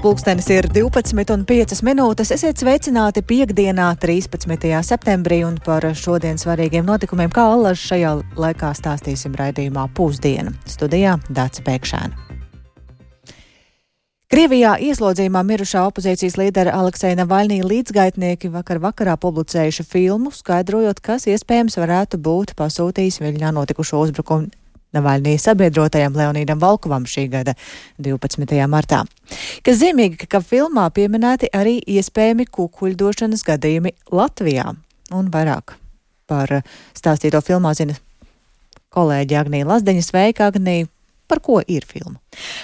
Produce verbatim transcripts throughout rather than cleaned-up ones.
Pulkstenis ir divpadsmit un piecas minūtes. Esiet sveicināti piekdienā, trīspadsmitajā septembrī, un par šodien svarīgiem notikumiem, kā allaž šajā laikā stāstīsim raidījumā Pusdiena. Studijā Dāca Pēkšēna. Krievijā ieslodzījumā mirušā opozīcijas līdera Alekseja Navaļnī līdzgaitnieki vakar vakarā publicējuši filmu, skaidrojot, kas iespējams varētu būt pasūtījis Viļņā notikušo uzbrukumu Navaļnī sabiedrotajam Leonīdam Volkovam šī gada divpadsmitajā martā. Kas zīmīgi, ka filmā pieminēti arī iespējami kukuļdošanas gadījumi Latvijā. Un vairāk par stāstīto filmā zina kolēģi Agnija Lazdeņa. Sveika, Agnija! Par ko ir filma?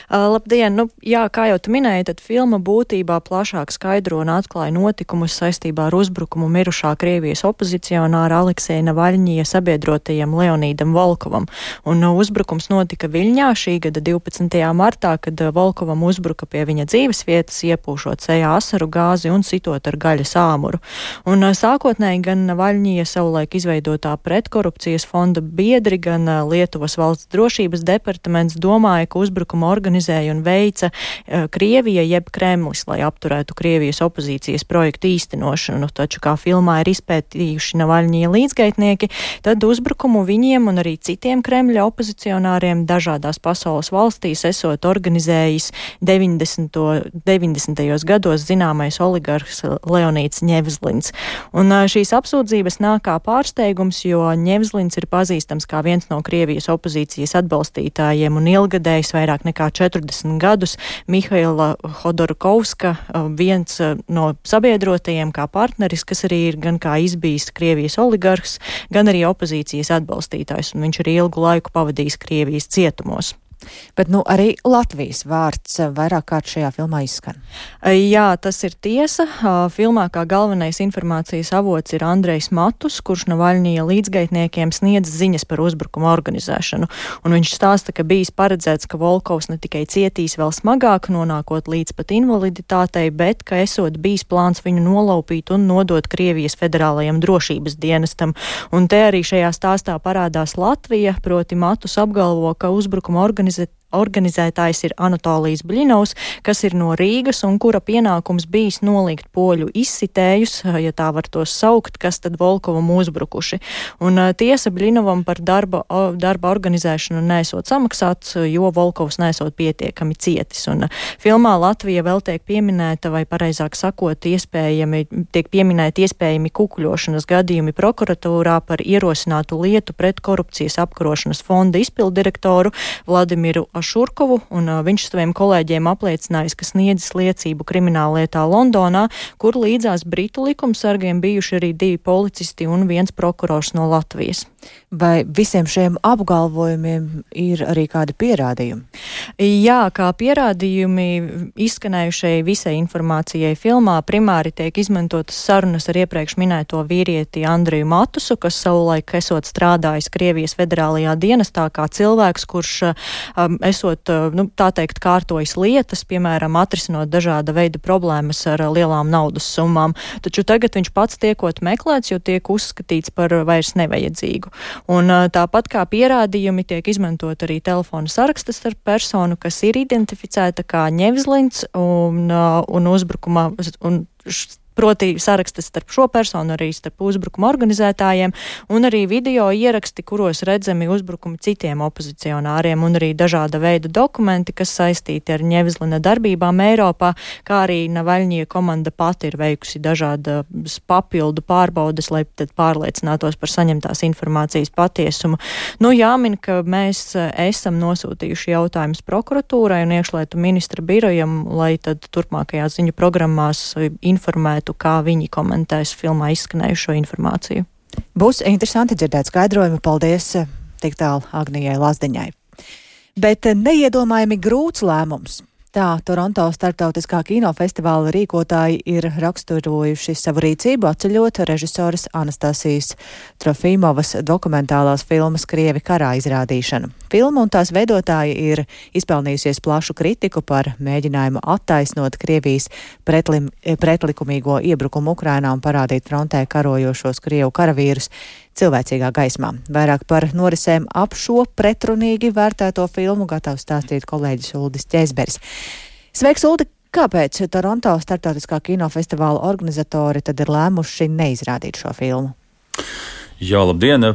Uh, labdien! Nu, jā, kā jau tu minēji, tad filma būtībā plašāk skaidro un atklāja notikumus saistībā ar uzbrukumu mirušā Krievijas opozicionāra Alekseja Navaļņija sabiedrotajam Leonīdam Volkovam. Un uh, uzbrukums notika Viļņā šī gada divpadsmitajā martā, kad uh, Volkovam uzbruka pie viņa dzīves vietas, iepūšot sejā asaru gāzi un sitot ar gaļas āmuru. Un uh, sākotnēji gan Navaļņija savulaik izveidotā pretkorupcijas fonda biedri, gan uh, Lietuvas valsts drošības departaments domāja, ka uzbrukumu organizēja un veica uh, Krievija jeb Kremlis, lai apturētu Krievijas opozīcijas projektu īstenošanu. Taču, kā filmā ir izpētījuši Navaļņija līdzgaitnieki, tad uzbrukumu viņiem un arī citiem Kremļa opozicionāriem dažādās pasaules valstīs esot organizējis deviņdesmitajos gados zināmais oligarhs Leonīds Ņevzlins. Un uh, šīs apsūdzības nāk kā pārsteigums, jo Ņevzlins ir pazīstams kā viens no Krievijas opozīcijas atbalstītājiem un ilgadējs vairāk nekā četrdesmit gadus Mihaila Hodorkovska, viens no sabiedrotajiem kā partneris, kas arī ir gan kā izbijis Krievijas oligarhs, gan arī opozīcijas atbalstītājs, un viņš arī ilgu laiku pavadījis Krievijas cietumos. Bet nu arī Latvijas vārds vairāk kārt šajā filmā izskan. Jā, tas ir tiesa. Filmā kā galvenais informācijas avots ir Andrejs Matus, kurš Navaļņija līdzgaitniekiem sniedz ziņas par uzbrukumu organizēšanu. Un viņš stāsta, ka bijis paredzēts, ka Volkovs ne tikai cietīs vēl smagāk, nonākot līdz pat invaliditātei, bet ka esot bijis plāns viņu nolaupīt un nodot Krievijas federālajam drošības dienestam. Un te arī šajā stāstā parādās Latvija, proti Matus apgalvo, ka uzbrukuma organizēšana Organizētājs ir Anatolijs Bļinovs, kas ir no Rīgas un kura pienākums bijis nolikt poļu izsitējus, ja tā var tos saukt, kas tad Volkovam uzbrukuši. Un tiesa Bļinovam par darba, darba organizēšanu nesot samaksāts, jo Volkovs nesot pietiekami cietis. Un filmā Latvija vēl tiek pieminēta, vai pareizāk sakot, iespējami, tiek pieminēti iespējami kukuļošanas gadījumi prokuratūrā par ierosinātu lietu pret korupcijas apkarošanas fonda izpildirektoru Vladimiru Šurkovu, un uh, viņš saviem kolēģiem apliecinājis, ka sniedzis liecību krimināllietā Londonā, kur līdzās britu likumsargiem bijuši arī divi policisti un viens prokurors no Latvijas. Vai visiem šiem apgalvojumiem ir arī kādi pierādījumi? Jā, kā pierādījumi izskanējušai visai informācijai filmā primāri tiek izmantotas sarunas ar iepriekš minēto vīrieti Andreju Matusu, kas savulaik esot strādājis Krievijas federālajā dienestā kā cilvēks, kurš um, esot, nu, tā teikt, kārtojis lietas, piemēram, atrisinot dažāda veida problēmas ar lielām naudas summām. Taču tagad viņš pats tiekot meklēts, jo tiek uzskatīts par vairs nevajadzīgu. Un tāpat kā pierādījumi tiek izmantot arī telefona saraksta starp personu, kas ir identificēta kā Ņevzlins un, un uzbrukuma un proti sarakstas starp šo personu, arī starp uzbrukuma organizētājiem, un arī video ieraksti, kuros redzami uzbrukumi citiem opozicionāriem, un arī dažāda veida dokumenti, kas saistīti ar Ņevzlina darbībām Eiropā, kā arī Navaļņija komanda pati ir veikusi dažādas papildu pārbaudes, lai tad pārliecinātos par saņemtās informācijas patiesumu. Nu, jāmin, ka mēs esam nosūtījuši jautājumus prokuratūrai un iekšlietu ministra birojam, lai tad turpmākajās ziņu programmās informētu, kā viņi komentēs filmā izskanējušo informāciju. Būs interesanti dzirdēt skaidrojumu. Paldies tik tālu Agnijai Lazdeņai. Bet neiedomājami grūts lēmums. Tā Toronto starptautiskā kinofestivāla rīkotāji ir raksturojuši savu rīcību, atceļot režisoras Anastasijas Trofīmovas dokumentālās filmas Krievi karā izrādīšanu. Filma un tās veidotāji ir izpelnījusies plašu kritiku par mēģinājumu attaisnot Krievijas pretlim, pretlikumīgo iebrukumu Ukrainā un parādīt frontē karojošos Krievu karavīrus cilvēcīgā gaismā. Vairāk par norisēm ap šo pretrunīgi vērtēto filmu gatavs stāstīt kolēģis Uldis Ķēzberis. Sveiks, Uldi! Kāpēc Toronto starptautiskā kinofestivāla organizatori tad ir lēmuši neizrādīt šo filmu? Jā, labdien!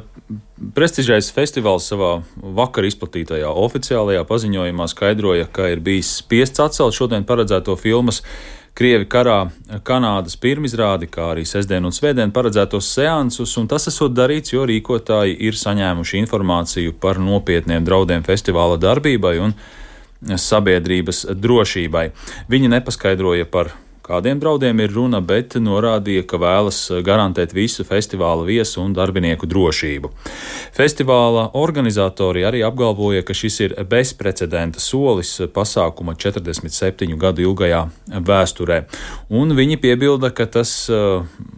Prestižais festivāls savā vakar izplatītajā oficiālajā paziņojumā skaidroja, ka ir bijis spiests atcelt šodien paredzēto filmas Krievi karā Kanādas pirmizrādi, kā arī sestdien un svētdien paredzētos seansus, un tas esot darīts, jo rīkotāji ir saņēmuši informāciju par nopietniem draudiem festivāla darbībai un sabiedrības drošībai. Viņi nepaskaidroja, par kādiem draudiem ir runa, bet norādīja, ka vēlas garantēt visu festivāla viesu un darbinieku drošību. Festivāla organizatori arī apgalvoja, ka šis ir bezprecedenta solis pasākuma četrdesmit septiņu gadu ilgajā vēsturē. Un viņi piebilda, ka tas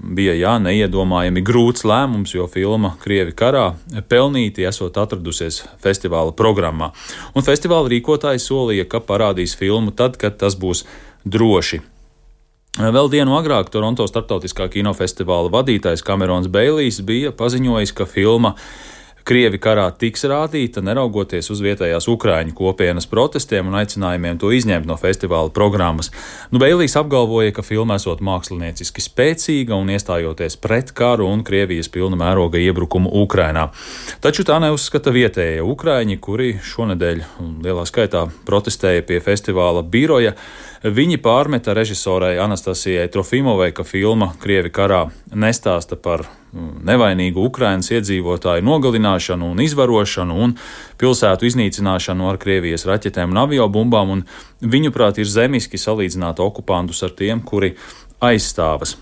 bija jā, neiedomājami grūts lēmums, jo filma Krievi karā pelnīti esot atradusies festivāla programmā. Un festivāla rīkotāji solīja, ka parādīs filmu tad, kad tas būs droši. Vēl dienu agrāk Toronto starptautiskā kinofestivāla vadītājs Kamerons Beilijs bija paziņojis, ka filma Krievi karā tiks rādīta, neraugoties uz vietējās Ukraiņu kopienas protestiem un aicinājumiem to izņemt no festivāla programmas. Nu, Beilijs apgalvoja, ka filma esot mākslinieciski spēcīga un iestājoties pret karu un Krievijas pilna mēroga iebrukumu Ukrainā. Taču tā neuzskata vietējie Ukraiņi, kuri šonedēļ lielā skaitā protestēja pie festivāla biroja. Viņi pārmeta režisorai Anastasijai Trofimovai, ka filma Krievi karā nestāsta par nevainīgu Ukrainas iedzīvotāju nogalināšanu un izvarošanu un pilsētu iznīcināšanu ar Krievijas raķetēm un aviobumbām, un viņuprāt ir zemiski salīdzināt okupantus ar tiem, kuri aizstāvas.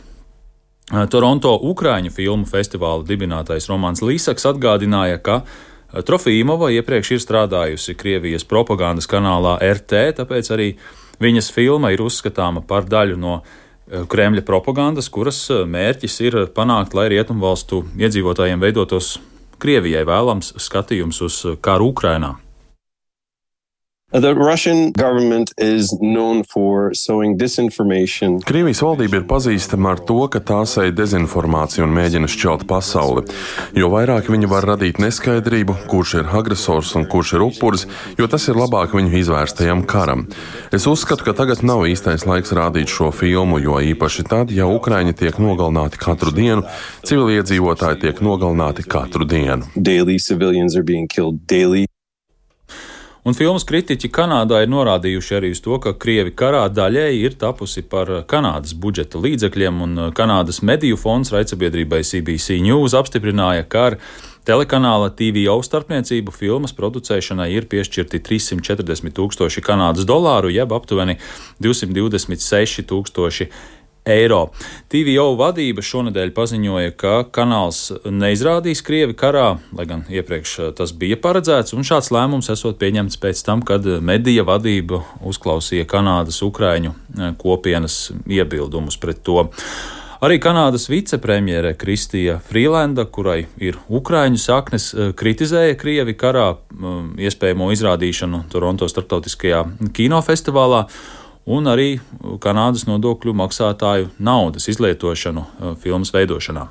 Toronto Ukraiņu filmu festivāla dibinātais Romans Līsaks atgādināja, ka Trofimova iepriekš ir strādājusi Krievijas propagandas kanālā R T, tāpēc arī viņas filma ir uzskatāma par daļu no Kremļa propagandas, kuras mērķis ir panākt, lai rietumvalstu iedzīvotājiem veidotos Krievijai vēlams skatījums uz karu Ukrainā. The Russian government is known for sowing disinformation. Krievijas valdība ir pazīstama ar to, ka tā sēj dezinformāciju un mēģina šķelt pasauli. Jo vairāk viņi var radīt neskaidrību, kurš ir agresors un kurš ir upuris, jo tas ir labāk viņu izvērstajam karam. Es uzskatu, ka tagad nav īstais laiks rādīt šo filmu, jo īpaši tad, ja Ukraiņi tiek nogalināti katru dienu, civiliedzīvotāji tiek nogalināti katru dienu. Daily civilians are being killed daily. Un filmas kritiķi Kanādā ir norādījuši arī uz to, ka Krievi karā daļēji ir tapusi par Kanādas budžeta līdzekļiem, un Kanādas mediju fonds raidsabiedrībai C B C News apstiprināja, ka ar telekanāla T V O starpniecību filmas producēšanai ir piešķirti trīssimt četrdesmit tūkstoši Kanādas dolāru, jeb aptuveni divsimt divdesmit seši tūkstoši eiro. T V O vadība šonedēļ paziņoja, ka kanāls neizrādīs Krievi karā, lai gan iepriekš tas bija paredzēts, un šāds lēmums esot pieņemts pēc tam, kad medija vadība uzklausīja Kanādas Ukraiņu kopienas iebildumus pret to. Arī Kanādas vicepremjere Kristija Frīlenda, kurai ir Ukraiņu saknes, kritizēja Krievi karā iespējamo izrādīšanu Toronto starptautiskajā kinofestivālā, un arī Kanādas nodokļu maksātāju naudas izlietošanu filmas veidošanā.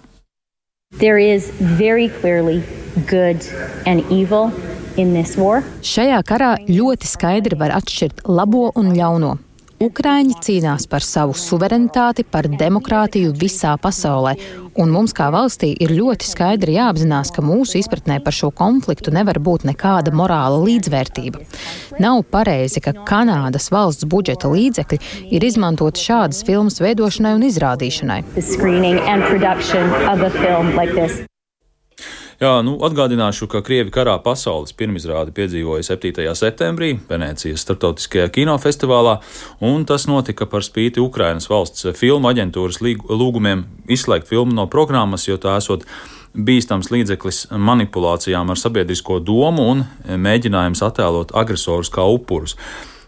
There is very clearly good and evil in this war. Šajā karā ļoti skaidri var atšķirt labo un ļauno. Ukraiņi cīnās par savu suverenitāti, par demokrātiju visā pasaulē, un mums kā valstī ir ļoti skaidri jāapzinās, ka mūsu izpratnē par šo konfliktu nevar būt nekāda morāla līdzvērtība. Nav pareizi, ka Kanādas valsts budžeta līdzekļi ir izmantoti šādas filmas veidošanai un izrādīšanai. Jā, nu, atgādināšu, ka Krievi karā pasaules pirmizrādi piedzīvoja septītajā septembrī Venēcijas starptautiskajā kinofestivālā, un tas notika par spīti Ukrainas valsts filmu aģentūras lūgumiem izslēgt filmu no programmas, jo tā esot bīstams līdzeklis manipulācijām ar sabiedrisko domu un mēģinājums attēlot agresorus kā upurus.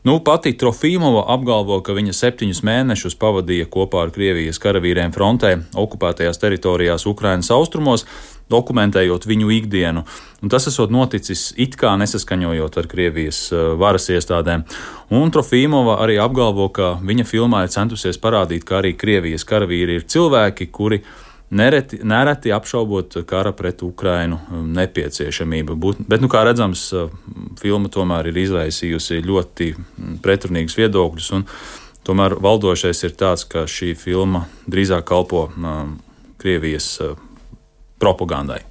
Nu, pati Trofimova apgalvo, ka viņa septiņus mēnešus pavadīja kopā ar Krievijas karavīriem frontē, okupētajās teritorijās Ukrainas austrumos, dokumentējot viņu ikdienu. Un tas esot noticis it kā nesaskaņojot ar Krievijas varas iestādēm. Un Trofimova arī apgalvo, ka viņa filmā ir centusies parādīt, ka arī Krievijas karavīri ir cilvēki, kuri nereti, nereti apšaubot kara pret Ukrainu nepieciešamību. Bet, nu, kā redzams, filma tomēr ir izraisījusi ļoti pretrunīgus viedokļus, un Tomēr valdošais ir tāds, ka šī filma drīzāk kalpo um, Krievijas uh, propagandai.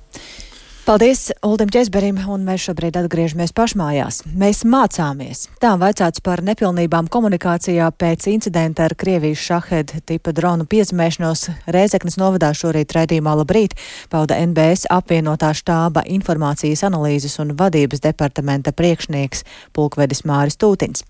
Paldies Uldim Ķezberim, un mēs šobrīd atgriežamies pašmājās. Mēs mācāmies. Tā vaicāts par nepilnībām komunikācijā pēc incidenta ar Krievijas Šahed tipa dronu piezemēšanos Rēzeknes novadā šorīt raidījumā Labrīt, pauda N B S apvienotā štāba informācijas analīzes un vadības departamenta priekšnieks pulkvedis Māris Tūtiņš.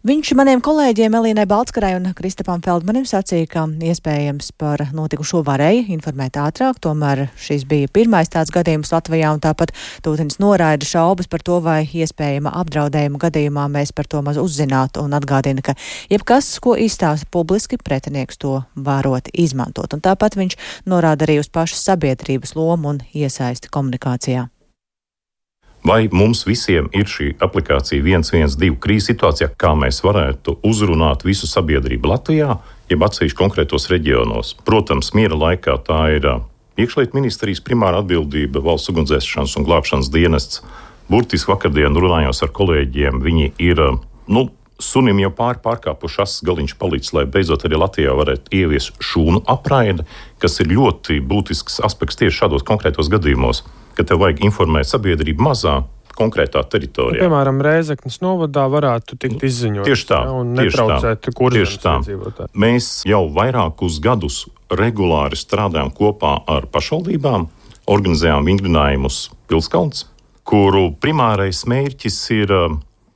Viņš maniem kolēģiem Elīnai Baltskarai un Kristapam Feldmanim sacīja, ka iespējams par notikušo varēja informēt ātrāk, tomēr šis bija pirmais tāds gadījums Latvijā, un tāpat Tūtiņš noraida šaubas par to, vai iespējama apdraudējuma gadījumā mēs par to maz uzzinātu, un atgādina, ka jebkas, ko izstāsta publiski, pretinieks to varot izmantot. Un tāpat viņš norāda arī uz pašas sabiedrības lomu un iesaisti komunikācijā. Vai mums visiem ir šī aplikācija viens viens divi krīzes situācijā, kā mēs varētu uzrunāt visu sabiedrību Latvijā, jeb atsevišķi konkrētos reģionos? Protams, miera laikā tā ir iekšlietu ministrijas primāra atbildība, valsts ugunsdzēsšanas un glābšanas dienests. Burtiski vakardien runājos ar kolēģiem, viņi ir, nu, sunim jau pāri pārkāpuši asas galiņš palicis, lai beidzot arī Latvijā varētu ievies šūnu apraidi, kas ir ļoti būtisks aspekts tieši šādos konkrētos gadījumos, ka tev vajag informēt sabiedrību mazā, konkrētā teritorijā. Nu, piemēram, Rēzeknes novadā varētu tikt izziņot. Tieši tā, ja, un netraucēt kurzemes iedzīvotājiem. Mēs jau vairākus gadus regulāri strādājam kopā ar pašvaldībām, organizējām vingrinājumus Pilskalns, kuru primārais mērķis ir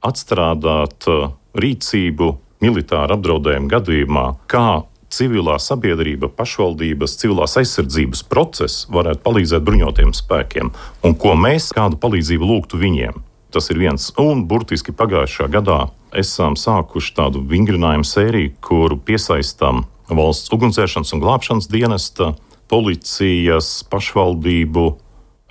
atstrādāt rīcību militāra apdraudējuma gadījumā, kā civilā sabiedrība, pašvaldības, civilās aizsardzības process varētu palīdzēt bruņotiem spēkiem, un ko mēs kādu palīdzību lūgtu viņiem. Tas ir viens. Un burtiski pagājušā gadā esam sākuši tādu vingrinājumu sēriju, kuru piesaistām valsts ugunsdzēsšanas un glābšanas dienesta, policijas, pašvaldību,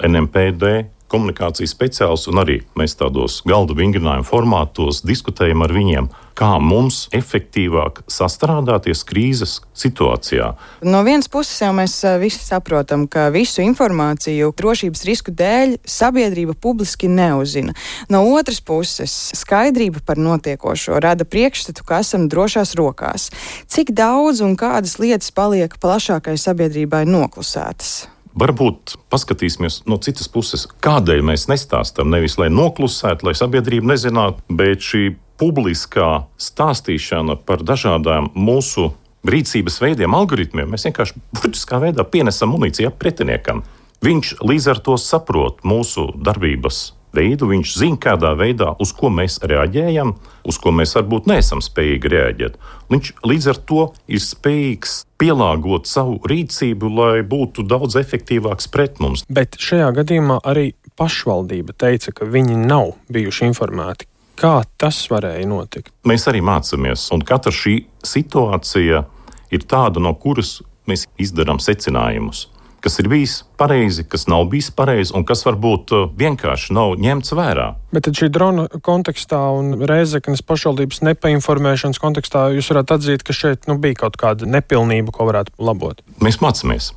N M P D, komunikācijas speciālists, un arī mēs tādos galda vingrinājumu formātos diskutējam ar viņiem, kā mums efektīvāk sastrādāties krīzes situācijā. No vienas puses jau mēs visi saprotam, ka visu informāciju drošības risku dēļ sabiedrība publiski neuzzina. No otras puses, skaidrība par notiekošo rada priekšstatu, ka esam drošās rokās. Cik daudz un kādas lietas paliek plašākai sabiedrībai noklusētas? Varbūt paskatīsimies no citas puses, kādēļ mēs nestāstam, nevis lai noklusētu, lai sabiedrība nezinātu, bet šī publiskā stāstīšana par dažādām mūsu rīcības veidiem, algoritmiem, mēs vienkārši burtiskā veidā pienesam munīciju pretiniekam. Viņš līdz ar to saprot mūsu darbības veidu, viņš zina, kādā veidā, uz ko mēs reaģējam, uz ko mēs varbūt neesam spējīgi reaģēt. Viņš līdz ar to ir spējīgs pielāgot savu rīcību, lai būtu daudz efektīvāks pret mums. Bet šajā gadījumā arī pašvaldība teica, ka viņi nav bijuši informēti. Kā tas varēja notikt? Mēs arī mācāmies, un katra šī situācija ir tāda, no kuras mēs izdarām secinājumus. Kas ir bijis pareizi, kas nav bijis pareizi un kas varbūt vienkārši nav ņemts vērā. Bet tad šī drona kontekstā un Rēzeknes pašvaldības nepainformēšanas kontekstā jūs varētu atzīt, ka šeit nu, bija kaut kāda nepilnība, ko varētu labot? Mēs mācāmies.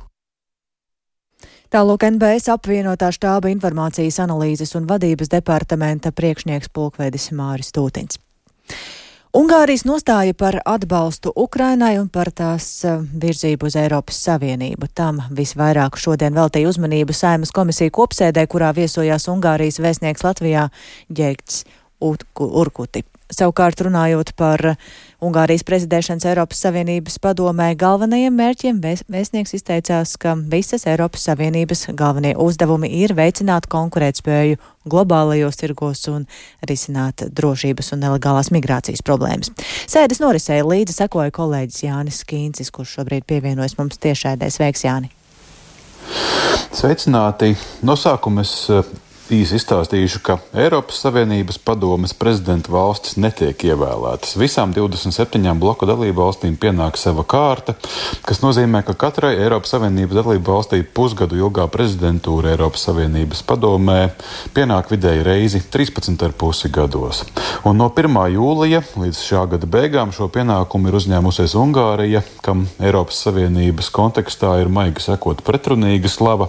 Tālūk N B S apvienotā štāba informācijas analīzes un vadības departamenta priekšnieks pulkvedis Māris Tūtiņš. Ungārijas nostāja par atbalstu Ukrainai un par tās virzību uz Eiropas Savienību. Tam visvairāk šodien veltīja uzmanību Saeimas komisija kopsēdē, kurā viesojās Ungārijas vēstnieks Latvijā Ģēgts Urkuti. Savukārt runājot par Ungārijas prezidēšanas Eiropas Savienības padomē galvenajiem mērķiem, vēstnieks izteicās, ka visas Eiropas Savienības galvenie uzdevumi ir veicināt konkurētspēju globālajos tirgos un risināt drošības un nelegālās migrācijas problēmas. Sēdes norisēja līdzi sekoja kolēģis Jānis Kīncis, kurš šobrīd pievienojas mums tiešraidē. Sveiks, Jāni! Sveicināti! No sākuma es īsi izstāstīšu, ka Eiropas Savienības padomes prezidenta valstis netiek ievēlētas. Visām divdesmit septiņām bloku dalību valstīm pienāk sava kārta, kas nozīmē, ka katrai Eiropas Savienības dalību valstī pusgadu ilgā prezidentūra Eiropas Savienības padomē pienāk vidēji reizi trīspadsmit ar pusi gados. Un no pirmā jūlija līdz šā gada beigām šo pienākumu ir uzņēmusies Ungārija, kam Eiropas Savienības kontekstā ir maigi sakot pretrunīga slava.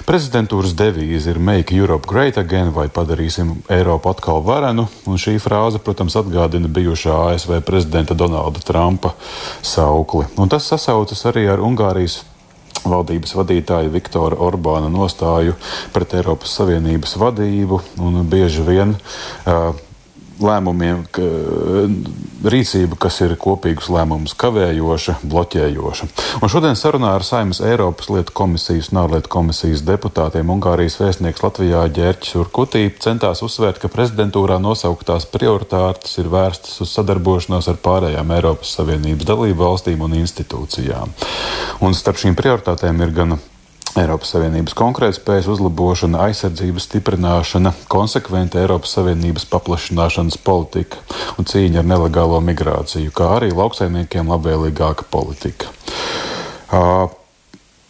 Prezidentūras devīze ir Make Europe Great great again vai padarīsim Eiropu atkal varenu. Un šī frāze, protams, atgādina bijušā A S V prezidenta Donalda Trumpa saukli. Un tas sasaucas arī ar Ungārijas valdības vadītāja Viktora Orbāna nostāju pret Eiropas Savienības vadību un bieži vien uh, lēmumiem, ka, rīcība, kas ir kopīgus lēmumus kavējoša, bloķējoša. Un šodien sarunā ar Saeimas Eiropas lietu komisijas un ārlietu komisijas deputātiem Ungārijas vēstnieks Latvijā Ģerķis Urkutī centās uzsvērt, ka prezidentūrā nosauktās prioritātes ir vērstas uz sadarbošanos ar pārējām Eiropas Savienības dalību valstīm un institūcijām. Un starp šīm prioritātēm ir gan Eiropas Savienības konkurētspējas uzlabošana, aizsardzības stiprināšana, konsekventa Eiropas Savienības paplašināšanas politika un cīņa ar nelegālo migrāciju, kā arī lauksaimniekiem labvēlīgāka politika. Uh,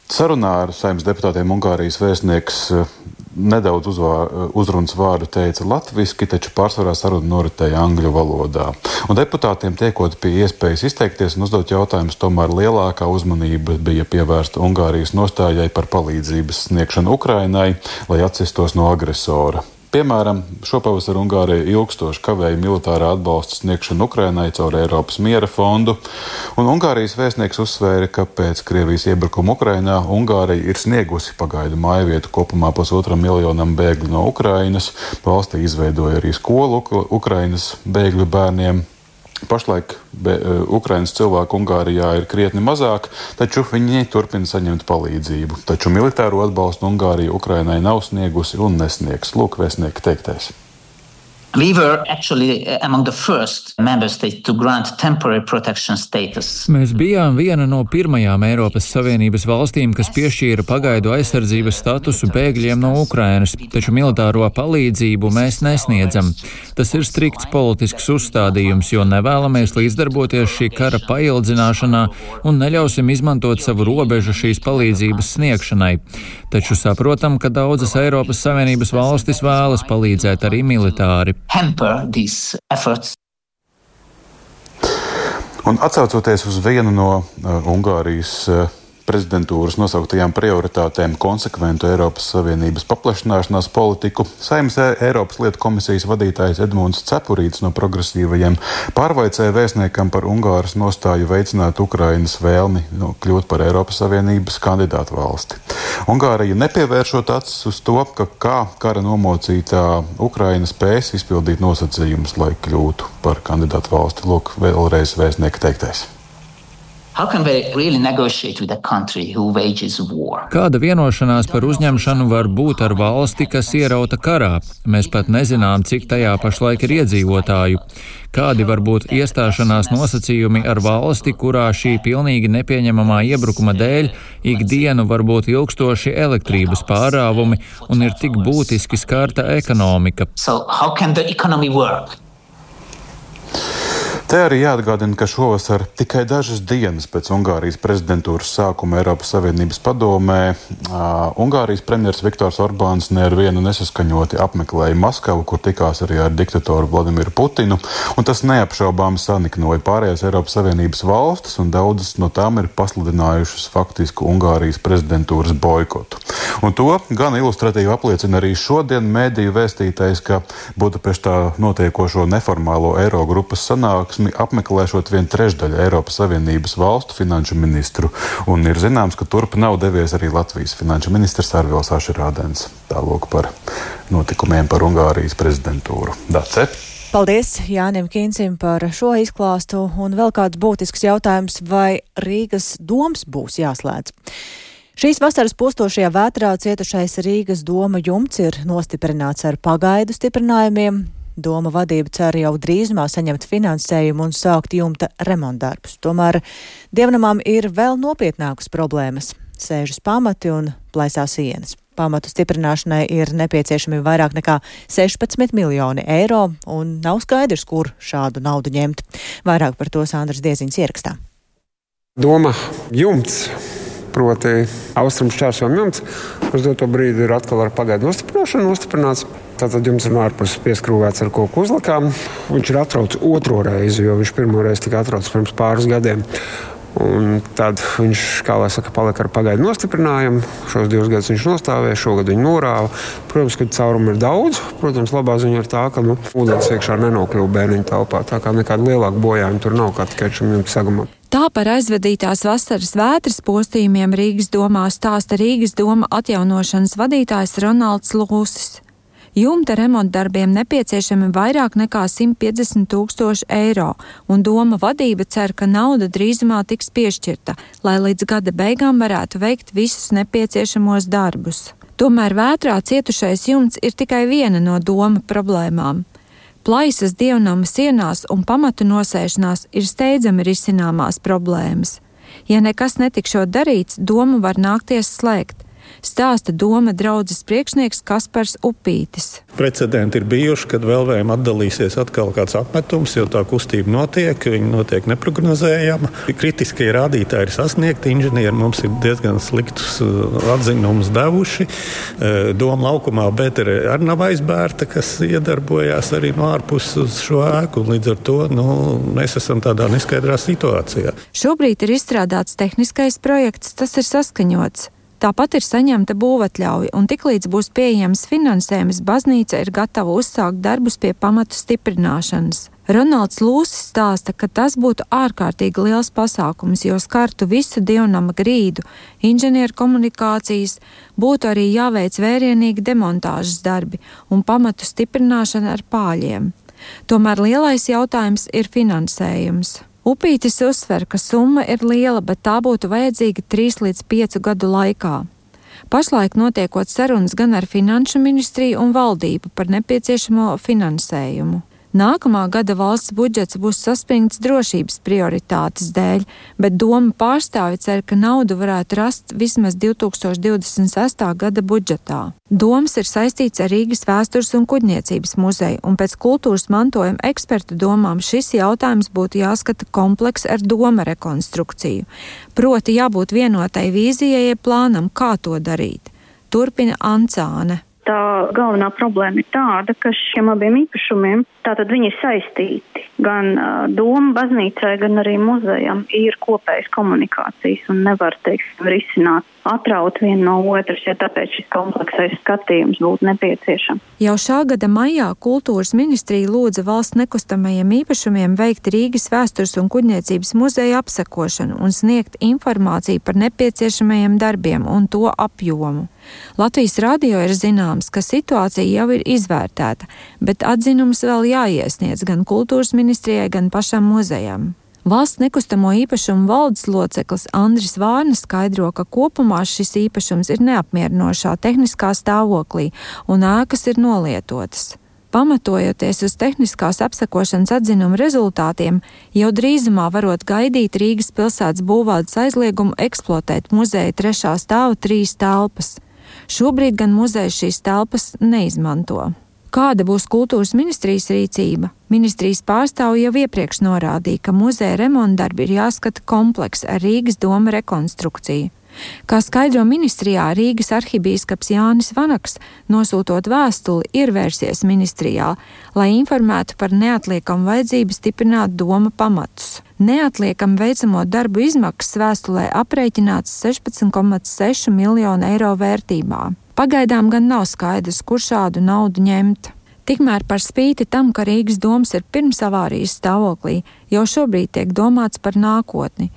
sarunā ar Saeimas deputātiem Ungārijas vēstnieks uh, nedaudz uzvār, uzrunas vārdu teica latviski, taču pārsvarā saruna noritēja angļu valodā. Un deputātiem tiekot pie iespējas izteikties un uzdot jautājumus, tomēr lielākā uzmanība bija pievērsta Ungārijas nostājai par palīdzības sniegšanu Ukrainai, lai atcestos no agresora. Piemēram, šopavasar Ungārija ilgstoši kavēja militārā atbalsta sniegšanu Ukrainai caur Eiropas miera fondu, un Ungārijas vēstnieks uzsvēra, ka pēc Krievijas iebrukuma Ukrainā Ungārija ir sniegusi pagaidu mājvietu kopumā pusotram miljonam bēgļu no Ukrainas, valstī izveidoja arī skolu Ukrainas bēgļu bērniem. Pašlaik be, Ukrainas cilvēku Ungārijā ir krietni mazāk, taču viņi turpina saņemt palīdzību. Taču militāro atbalstu Ungārija Ukrainai nav sniegusi un nesniegs. Lūk, vēstnieka teiktais. We were actually among the first member states to grant temporary protection status. Mēs bijām viena no pirmajām Eiropas Savienības valstīm, kas piešķīra pagaidu aizsardzības statusu bēgļiem no Ukrainas, taču militāro palīdzību mēs nesniedzam. Tas ir strikts politisks uzstādījums, jo nevēlamies līdzdarboties šī kara paildzināšanā un neļausim izmantot savu robežu šīs palīdzības sniegšanai. Taču saprotam, ka daudzas Eiropas Savienības valstis vēlas palīdzēt arī militāri. Un atsaucoties uz vienu no uh, Ungārijas uh, prezidentūras nosauktajām prioritātēm konsekventu Eiropas Savienības paplašināšanās politiku, Saeimas Eiropas lietu komisijas vadītājs Edmunds Cepurītis no progresīvajiem pārvaicēja vēstniekam par Ungāras nostāju veicināt Ukrainas vēlmi no, kļūt par Eiropas Savienības kandidātu valsti. Ungārija nepievēršot acis uz to, ka kā kara nomocītā Ukraina spēs izpildīt nosacījumus, lai kļūtu par kandidātu valsti. Lūk, vēlreiz vēstnieka teiktais. Really Kāda vienošanās par uzņemšanu var būt ar valsti, kas ierauta karā? Mēs pat nezinām, cik tajā pašlaik ir iedzīvotāju. Kādi var būt iestāšanās nosacījumi ar valsti, kurā šī pilnīgi nepieņemamā iebrukuma dēļ ikdienu var būt ilgstoši elektrības pārāvumi un ir tik būtiski skarta ekonomika? So how can the economy work? Te arī jāatgādina, ka šovasar tikai dažas dienas pēc Ungārijas prezidentūras sākuma Eiropas Savienības padomē uh, Ungārijas premjers Viktors Orbāns ne ar vienu nesaskaņoti apmeklēja Maskavu, kur tikās arī ar diktatoru Vladimiru Putinu, un tas neapšaubām saniknoja pārējās Eiropas Savienības valstis, un daudzas no tām ir pasludinājušas faktisku Ungārijas prezidentūras boikotu. Un to gan ilustratīvi apliecina arī šodien mēdīju vēstītais, ka Budapeštā notiekošo neformālo Eirogrupas sanāksmi apmeklēšot vien trešdaļu Eiropas Savienības valstu finanšu ministru, un ir zināms, ka turp nav devies arī Latvijas finanšu ministrs Arvils Ašerādens. Tālūk par notikumiem par Ungārijas prezidentūru. Dace. Paldies Jānim Kīncim par šo izklāstu, un vēl kāds būtisks jautājums, vai Rīgas doms būs jāslēdz. Šīs vasaras postošajā vētrā cietušais Rīgas doma jumts ir nostiprināts ar pagaidu stiprinājumiem. Doma vadība cer jau drīzumā saņemt finansējumu un sākt jumta remontdarbus. Tomēr dievnamām ir vēl nopietnākas problēmas - sēžas pamati un plaisās sienas. Pamatu stiprināšanai ir nepieciešami vairāk nekā sešpadsmit miljoni eiro, un nav skaidrs, kur šādu naudu ņemt. Vairāk par to Sandrs Dieziņš ierakstā. Doma jumts, proti austrumu šķērsojuma jumts, uz doto brīdi ir atkal ar pagaidu nostiprināšanu nostiprināts. Tātad jums ir ārpus pieskrūvēts ar koku uzlakām. Viņš ir atrauts otro reizi, jo viņš pirmo reizi tika atrauts pirms pāris gadiem. Un tad viņš, kā lai saka, palika ar pagaidu nostiprinājumu. Šos divus gadus viņš nostāvēja, šogad viņu norāva. Protams, ka caurumu ir daudz. Protams, labā ziņa ir tā, ka nu, ūdens iekšā nenokļuva bērniņu telpā. Tā kā nekāda lielāka bojājuma tur nav, kā tikai šim jumta sagumam. Tā par aizvadītās vasaras vētras postījumiem Rīgas domā stāsta Rīgas doma atjaunošanas vadītājs Ronalds Lūsis. Jumta remontdarbiem nepieciešami vairāk nekā simt piecdesmit tūkstoši eiro, un doma vadība cer, ka nauda drīzumā tiks piešķirta, lai līdz gada beigām varētu veikt visus nepieciešamos darbus. Tomēr vētrā cietušais jumts ir tikai viena no doma problēmām. Plaisas dievnama sienās un pamatu nosēšanās ir steidzami risināmās problēmas. Ja nekas netikšot darīts, domu var nākties slēgt. Stāsta doma draudzes priekšnieks Kaspars Upītis. Precedenti ir bijuši, kad vēlējiem atdalīsies atkal kāds apmetums, jo tā kustība notiek, viņa notiek neprognozējama. Kritiskie rādītāji ir sasniegti, inženieri mums ir diezgan sliktus atzinumus devuši. Doma laukumā Bētere arī nav aizbērta, kas iedarbojās arī no ārpuses uz šo ēku. Līdz ar to nu, mēs esam tādā neskaidrā situācijā. Šobrīd ir izstrādāts tehniskais projekts, tas ir saskaņots. Tāpat ir saņemta būvatļauja, un tiklīdz būs pieejams finansējums, baznīca ir gatava uzsākt darbus pie pamatu stiprināšanas. Ronalds Lūsis stāsta, ka tas būtu ārkārtīgi liels pasākums, jo skartu visu dievnama grīdu, inženieru komunikācijas, būtu arī jāveic vērienīgi demontāžas darbi un pamatu stiprināšana ar pāļiem. Tomēr lielais jautājums ir finansējums. Upītis uzsver, ka summa ir liela, bet tā būtu vajadzīga trīs līdz piecu gadu laikā. Pašlaik notiekot sarunas gan ar Finanšu ministriju un valdību par nepieciešamo finansējumu. Nākamā gada valsts budžets būs saspringts drošības prioritātes dēļ, bet doma pārstāvi cer, ka naudu varētu rast vismaz divi tūkstoši divdesmit sestā gada budžetā. Domas ir saistīts ar Rīgas vēstures un kuģniecības muzeju, un pēc kultūras mantojuma ekspertu domām šis jautājums būtu jāskata kompleks ar doma rekonstrukciju. Proti jābūt vienotai vīzijai plānam, kā to darīt. Turpina Ancāne. Tā galvenā problēma ir tāda, ka šiem abiem īpašumiem tātad viņi ir saistīti. Gan uh, doma baznīcai, gan arī muzejam ir kopējas komunikācijas un nevar, teiksim, risināt, atraut vienu no otras, ja tāpēc šis kompleksais skatījums būtu nepieciešams. Jau šā gada maijā kultūras ministrija lūdza valsts nekustamajiem īpašumiem veikt Rīgas vēstures un kuģniecības muzeja apsekošanu un sniegt informāciju par nepieciešamajiem darbiem un to apjomu. Latvijas radio ir zināms, ka situācija jau ir izvērtēta, bet atzinums vēl jāiesniedz gan kultūras ministrijai, gan pašam muzejam. Valsts nekustamo īpašumu valdes loceklis Andris Vārna skaidro, ka kopumā šis īpašums ir neapmierinošā tehniskā stāvoklī un ēkas ir nolietotas. Pamatojoties uz tehniskās apsekošanas atzinuma rezultātiem, jau drīzumā varot gaidīt Rīgas pilsētas būvvaldes aizliegumu eksploatēt muzeja trešā stāva trīs telpas. Šobrīd gan muzejs šīs telpas neizmanto. Kāda būs kultūras ministrijas rīcība? Ministrijas pārstāvji jau iepriekš norādīja, ka muzeja remontdarbi ir jāskata kompleks ar Rīgas doma rekonstrukciju. Kā skaidro ministrijā, Rīgas arhibīskaps Jānis Vanaks, nosūtot vēstuli, ir vērsies ministrijā, lai informētu par neatliekamu vajadzību stiprināt doma pamatus. Neatliekam veicamo darbu izmaksas vēstulē aprēķināts sešpadsmit komats seši miljonu eiro vērtībā. Pagaidām gan nav skaidrs, kur šādu naudu ņemt. Tikmēr par spīti tam, ka Rīgas domas ir pirms avārijas stāvoklī, jau šobrīd tiek domāts par nākotni.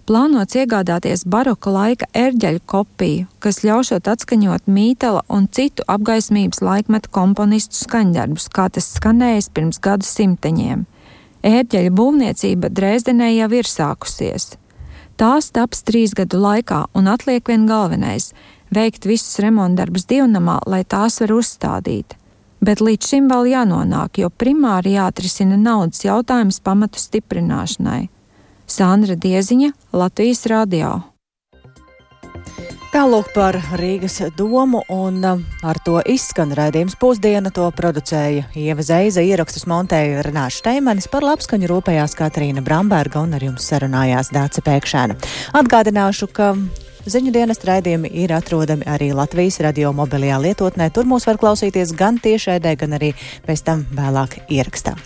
Plānots iegādāties baroka laika ērģeļu kopiju, kas ļaušot atskaņot Mītela un citu apgaismības laikmeta komponistu skaņdarbus, kā tas skanējis pirms gadu simteņiem. Ērģeļu būvniecība Dresdenē jau ir sākusies. Tās taps trīs gadu laikā un atliek vien galvenais – veikt visus remontdarbus dievnamā, lai tās var uzstādīt. Bet līdz šim vēl jānonāk, jo primāri jāatrisina naudas jautājums pamatu stiprināšanai. Sandra Dieziņa, Latvijas radio. Tālūk par Rīgas domu, un ar to izskan raidījums Pusdiena. To producēja Ieva Zeiza, ierakstus montēja Renāša Šteimanis, par labskaņu rūpējās Katrīna Bramberga un ar jums sarunājās Dāce Pēkšēna. Atgādināšu, ka ziņu dienas raidījumi ir atrodami arī Latvijas radio mobilajā lietotnē. Tur mūs var klausīties gan tiešraidē, gan arī pēc tam vēlāk ierakstā.